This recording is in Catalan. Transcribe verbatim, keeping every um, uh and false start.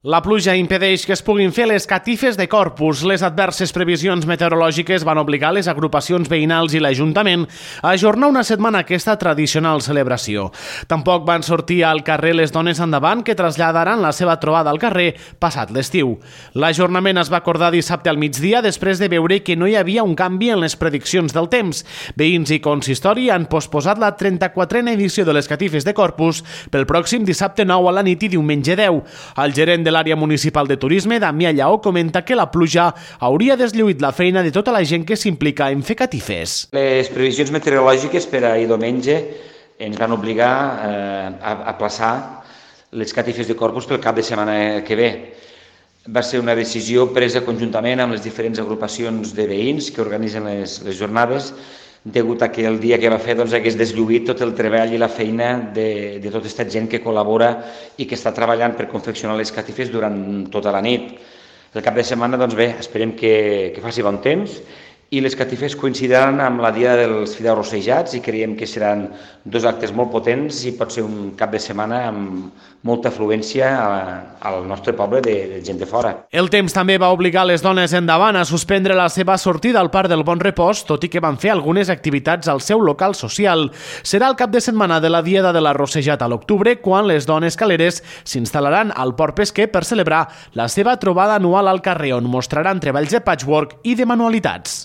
La pluja impedeix que es puguin fer les catifes de Corpus. Les adverses previsions meteorològiques van obligar les agrupacions veïnals i l'Ajuntament a ajornar una setmana aquesta tradicional celebració. Tampoc van sortir al carrer les dones endavant, que traslladaran la seva trobada al carrer passat l'estiu. L'ajornament es va acordar dissabte al migdia després de veure que no hi havia un canvi en les prediccions del temps. Veïns i consistori han posposat la trenta-quatrena edició de les catifes de Corpus pel pròxim dissabte nou a la nit i diumenge deu. El gerent de l'àrea municipal de turisme, Damià Lleó, comenta que la pluja hauria deslluït la feina de tota la gent que s'implica en fer catifes. Les previsions meteorològiques per ahir diumenge ens van obligar eh, a aplaçar les catifes de Corpus pel cap de setmana que ve. Va ser una decisió presa conjuntament amb les diferents agrupacions de veïns que organitzen les, les jornades, degut a que el dia que va fer doncs, hagués deslluït tot el treball i la feina de, de tota aquesta gent que col·labora i que està treballant per confeccionar les catifes durant tota la nit. El cap de setmana, doncs bé, esperem que, que faci bon temps i les catifes coincidiran amb la dia dels fideus rossejats i creiem que seran dos actes molt potents i pot ser un cap de setmana amb molta afluència a, al nostre poble de, de gent de fora. El temps també va obligar les dones endavant a suspendre la seva sortida al Parc del Bon Repòs, tot i que van fer algunes activitats al seu local social. Serà el cap de setmana de la Diada de la Rossejat a l'octubre, quan les dones caleres s'instal·laran al Port Pesquer per celebrar la seva trobada anual al carrer, on mostraran treballs de patchwork i de manualitats.